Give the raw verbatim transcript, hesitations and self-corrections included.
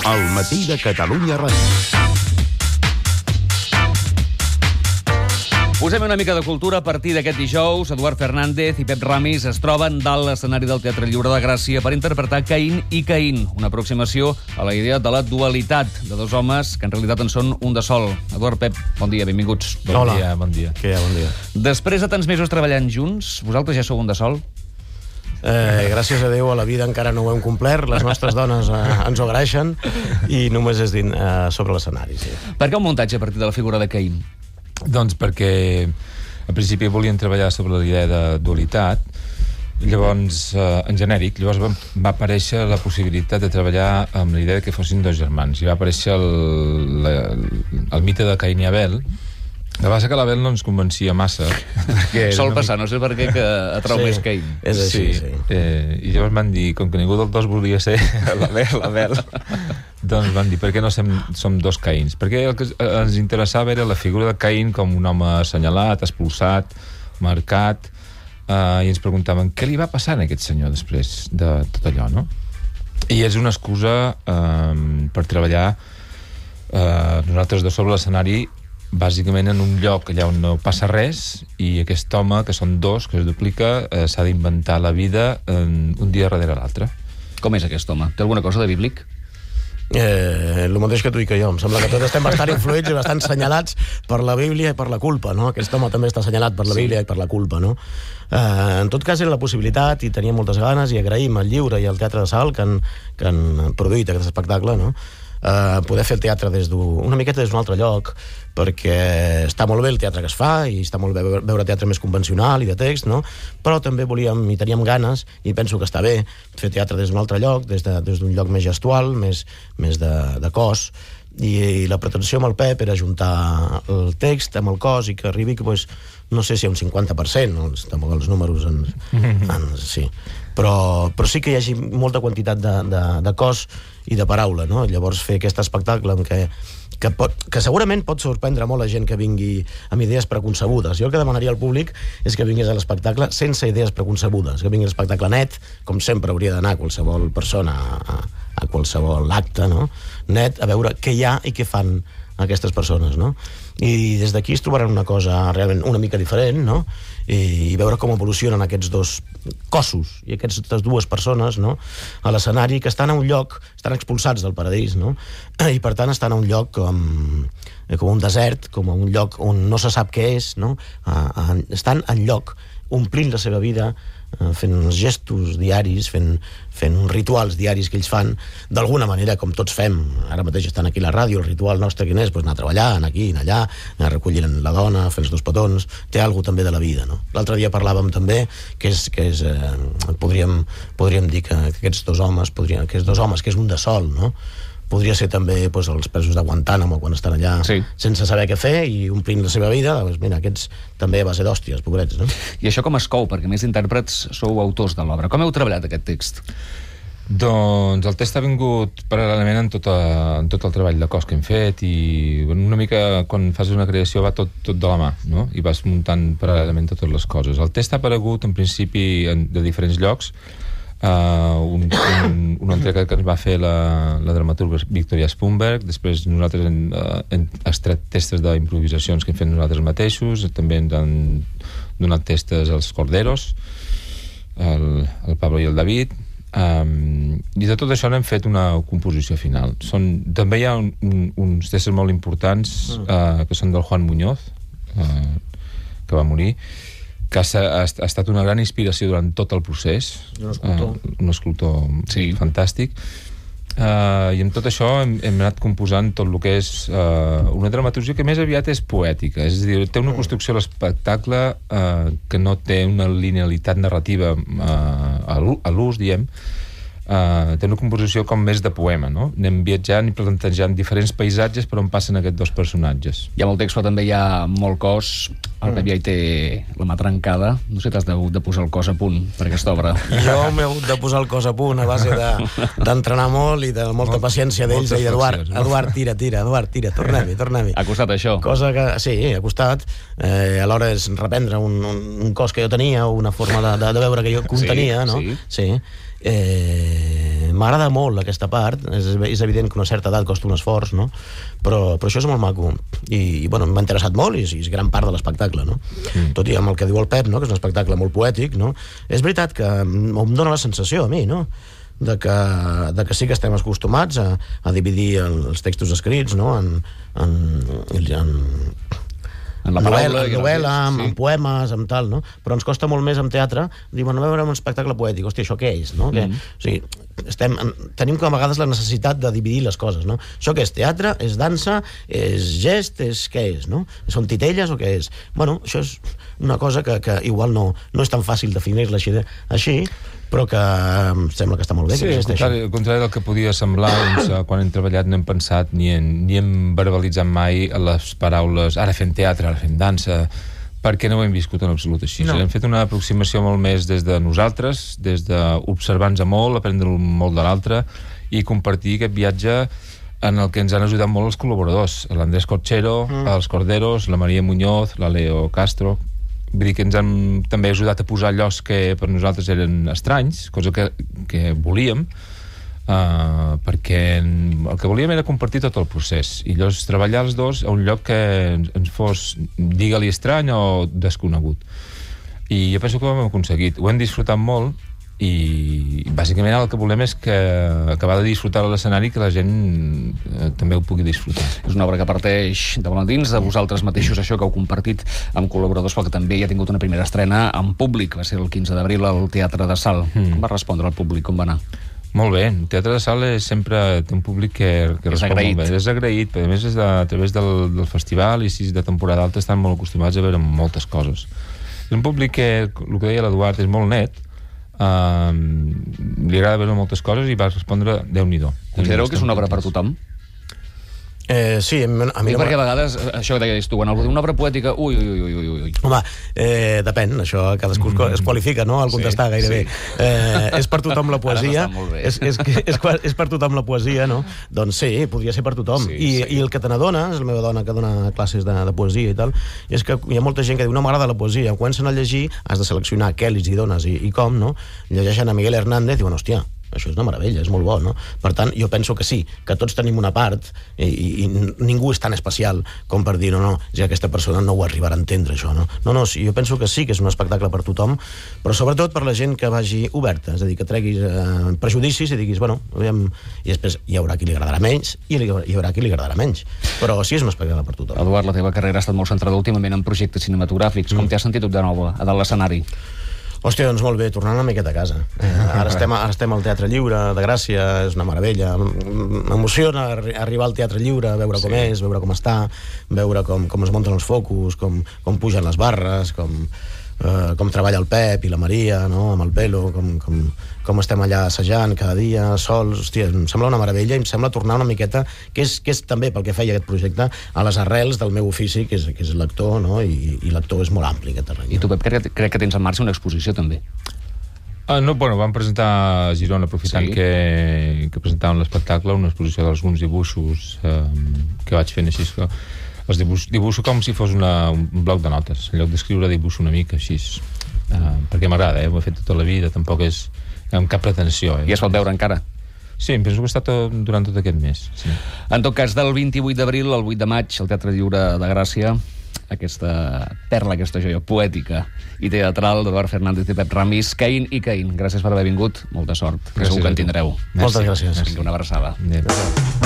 Al matí de Catalunya Ràdio. Posem una mica de cultura a partir d'aquest dijous. Eduard Fernández i Pep Ramis es troben dalt l'escenari del Teatre Lliure de Gràcia per interpretar Caín i Caín, una aproximació a la idea de la dualitat de dos homes que en realitat en són un de sol. Eduard, Pep, bon dia, benvinguts. Bon Hola. dia, bon dia. Què hi ha, bon dia. Després de tants mesos treballant junts, vosaltres ja sou un de sol? Eh, gràcies a Déu a la vida encara no ho hem complert, les nostres dones eh, ens ho agraeixen i només és din, eh, sobre l'escenari. Sí. Per què un muntatge a partir de la figura de Caín? Doncs perquè al principi volien treballar sobre la idea de dualitat, llavors, eh, en genèric, llavors va, va aparèixer la possibilitat de treballar amb la idea que fossin dos germans, i va aparèixer el, la, el mite de Caín i Abel. La base que l'Abel no ens convencia massa. Sol passar, no sé per què que atrau sí, més Caín. És així, sí. sí. Eh, I llavors van dir, com que ningú dels dos volia ser l'Abel, l'Abel, doncs van dir, per què no som, som dos Caïns? Perquè el que ens interessava era la figura de Caín com un home assenyalat, expulsat, marcat, eh, i ens preguntaven què li va passar a aquest senyor després de tot allò, no? I és una excusa eh, per treballar eh, nosaltres dos sobre l'escenari bàsicament en un lloc allà on no passa res, i aquest home, que són dos, que es duplica, eh, s'ha d'inventar la vida en un dia darrere l'altre. Com és aquest home? Té alguna cosa de bíblic? Eh, el mateix que tu i que jo. Em sembla que tots estem bastant influïts i bastant senyalats per la Bíblia i per la culpa, no? Aquest home també està assenyalat per la Bíblia sí. i per la culpa, no? Eh, en tot cas era la possibilitat, i tenia moltes ganes, i agraïm al Lliure i al Teatre de Salt que han, que han produït aquest espectacle, no? Uh, poder fer el teatre des d'un una miqueta des d'un altre lloc, perquè està molt bé el teatre que es fa i està molt bé veure teatre més convencional i de text, no? Però també volíem i teníem ganes, i penso que està bé fer teatre des d'un altre lloc, des d'un de, des lloc més gestual, més, més de, de cos, i, i la pretensió amb el Pep era juntar el text amb el cos i que arribi, pues, no sé si a un cinquanta per cent, no? Tampoc els números ens, ens, sí. Però, però sí que hi hagi molta quantitat de, de, de cos i de paraula, no? Llavors fer aquest espectacle en què, que, pot, que segurament pot sorprendre molt la gent que vingui amb idees preconcebudes. Jo el que demanaria al públic és que vingués a l'espectacle sense idees preconcebudes, que vingui l'espectacle net, com sempre hauria d'anar qualsevol persona a, a qualsevol acte, no? Net, a veure què hi ha i què fan aquestes persones, no? I des d'aquí es trobaran una cosa realment una mica diferent, no? I, i veure com evolucionen aquests dos cossos i aquestes dues persones, no? A l'escenari, que estan a un lloc, estan expulsats del paradís, no? I per tant estan a un lloc com, com un desert, com un lloc on no se sap què és, no? A, a, estan en lloc, omplint la seva vida, fent uns gestos diaris, fent, fent uns rituals diaris que ells fan, d'alguna manera, com tots fem. Ara mateix estan aquí a la ràdio, el ritual nostre quin és? Pues anar a treballar, anar aquí, anar allà, anar a recollir la dona, fer els dos petons, té alguna també de la vida, no? L'altre dia parlàvem també que és, que és eh, podríem, podríem dir que aquests dos homes, podrien, aquests dos homes, que és un de sol, no? Podria ser també, doncs, els presos de Guantánamo quan estan allà sí. sense saber què fer i omplint la seva vida, doncs mira, aquests també va ser d'hòsties, pobrets, no? I això com es cou? Perquè més intèrprets sou autors de l'obra. Com heu treballat aquest text? Doncs el text ha vingut paral·lelament en tot, a, en tot el treball de cos que hem fet, i una mica quan fas una creació va tot, tot de la mà, no? I vas muntant paral·lelament totes les coses. El text ha aparegut en principi en, de diferents llocs. Uh, un, un, una entrega que ens va fer la, la dramaturga Victoria Spunberg. Després nosaltres hem, uh, hem extret testes d'improvisacions que hem fet nosaltres mateixos. També ens han donat testes als Corderos, el, el Pablo i el David, um, i de tot això n'hem fet una composició final. Són, també hi ha un, un, uns testes molt importants uh, que són del Juan Muñoz, uh, que va morir, que ha, ha, ha estat una gran inspiració durant tot el procés. Un escultor. Uh, un escultor sí. fantàstic. Uh, I amb tot això hem, hem anat composant tot el que és uh, una dramaturgia que més aviat és poètica. És a dir, té una construcció a l'espectacle uh, que no té una linealitat narrativa uh, a l'ús, diem. Uh, té una composició com més de poema, no? Anem viatjant i plantejant diferents paisatges per on passen aquests dos personatges. Hi ha molt text, però també hi ha molt cos. El Pep ja hi té la mà trencada. No sé, t'has de, de posar el cos a punt per aquesta obra. Jo m'he hagut de posar el cos a punt a base d'entrenar de, molt i de molta Molt, paciència d'ells. I Eduard, no? Eduard, tira, tira, Eduard, tira, tornem-hi, tornem-hi. Ha costat això? Cosa que, sí, ha costat. Eh, alhora és reprendre un, un, un cos que jo tenia, una forma de, de, de veure que jo contenia, sí, no? Sí, sí. Eh, m'agrada molt aquesta part, és, és evident que una certa edat costa un esforç, no? Però, però això és molt maco, i, i bueno, m'ha interessat molt, i, i és gran part de l'espectacle, no? Mm. Tot i amb el que diu el Pep, no? Que és un espectacle molt poètic, no? És veritat que em dóna la sensació a mi, no? De que, de que sí que estem acostumats a, a dividir el, els textos escrits, no? En, en, en, en la paraula, novel·la, en, novel·la sí. amb, amb poemes, amb tal, no? Però ens costa molt més amb teatre dir, bueno, a veure un espectacle poètic, hòstia, això què és, no? Mm. Que, o sigui, estem, tenim com a vegades la necessitat de dividir les coses, no? Això què és? Teatre? És dansa? És gest? És què és, no? Són titelles o què és? Bueno, això és una cosa que, que igual no, no és tan fàcil definir-la així, així, però que em sembla que està molt bé. Sí, que al contrari, al contrari del que podia semblar, doncs, quan hem treballat no hem pensat ni, en, ni hem verbalitzat mai les paraules ara fem teatre, ara fem dansa, perquè no ho hem viscut en absolut així. No. Hem fet una aproximació molt més des de nosaltres, des d'observar-nos molt, aprendre molt de l'altre i compartir aquest viatge en el que ens han ajudat molt els col·laboradors, l'Andrés Corchero, mm. els Corderos, la Maria Muñoz, la Leo Castro. Vull dir que ens han també ajudat a posar llocs que per nosaltres eren estranys, cosa que, que volíem, uh, perquè el que volíem era compartir tot el procés, i llavors treballar els dos a un lloc que ens fos, digue-li estrany o desconegut. I jo penso que ho hem aconseguit. Ho hem disfrutat molt, i bàsicament el que volem és que acabar de disfrutar l'escenari, que la gent eh, també ho pugui disfrutar. És una obra que parteix de Valentins, de vosaltres mateixos, això que heu compartit amb col·laboradors, però que també hi ha tingut una primera estrena en públic, va ser el quinze d'abril al Teatre de Sal. Mm. Com va respondre el públic, com va anar? Molt bé, el Teatre de Sal és sempre té un públic que, que respon agraït. molt bé. És agraït, però a més és de, a través del, del festival, i si és de temporada alta estan molt acostumats a veure moltes coses. És un públic que, el que deia l'Eduard, és molt net, Uh, li agrada veure moltes coses i va respondre Déu-n'hi-do. Considereu que és una obra per tothom? Eh, sí, a mi, a mi I perquè a vegades, això que deies tu, quan algú diu una obra poètica, ui, ui, ui, ui, ui. Home, eh, depèn, això cadascú mm. es qualifica, no?, al contestar sí, gairebé. Sí. Eh, és per tothom la poesia, és, és, és, és per tothom la poesia, no? Doncs sí, podria ser per tothom. Sí, I, sí. I el que te n'adones, la meva dona que dona classes de, de poesia i tal, és que hi ha molta gent que diu, no m'agrada la poesia, quan comencen a llegir has de seleccionar què els hi dones i, i com, no? Llegeixen a Miguel Hernández i diuen, hòstia, això és una meravella, és molt bo, no? Per tant, jo penso que sí, que tots tenim una part i, i, i ningú és tan especial com per dir, no, no, ja aquesta persona no ho arribarà a entendre, això, no? No, no, sí, jo penso que sí que és un espectacle per tothom, però sobretot per la gent que vagi oberta, és a dir, que treguis eh, prejudicis i diguis, bueno, aviam, i després hi haurà qui li agradarà menys i hi haurà qui li agradarà menys, però sí és un espectacle per tothom. Eduard, la teva carrera ha estat molt centrada últimament en projectes cinematogràfics. Mm. Com t'has sentit de nou a dalt l'escenari? Hòstia, doncs molt bé, tornant una miqueta a casa. Eh, ara, estem, ara estem al Teatre Lliure de Gràcia, és una meravella. M'emociona arribar al Teatre Lliure, veure com sí. és, veure com està, veure com, com es munten els focus, com, com pugen les barres, com, eh, com treballa el Pep i la Maria, no?, amb el pelo, com, com, com estem allà assajant cada dia, sols. Hòstia, em sembla una meravella i em sembla tornar una miqueta, que és, que és també pel que feia aquest projecte, a les arrels del meu ofici, que és, que és l'actor, no?, i, i l'actor és molt ampli, aquest terreny. I tu, Pep, crec, crec que tens en marxa una exposició, també. Uh, no, bueno, vam presentar a Girona, aprofitant sí. que, que presentàvem l'espectacle, una exposició d'alguns dibuixos eh, que vaig fent així, que els dibuixo, dibuixo com si fos una, un bloc de notes, en lloc d'escriure dibuixo una mica així, uh, perquè m'agrada, eh? Ho he fet tota la vida, tampoc és amb cap pretensió. Eh? I es pot veure encara? Sí, em penso que ha estat tot, durant tot aquest mes. Sí. En tot cas, del vint-i-vuit d'abril al vuit de maig, al Teatre Lliure de Gràcia, aquesta perla, aquesta joia poètica i teatral d'Eduard Fernández i Pep Ramis, Caín i Caín. Gràcies per haver vingut, molta sort, que segur que en tindreu. Moltes gràcies. Vinga, una abraçada. Adéu.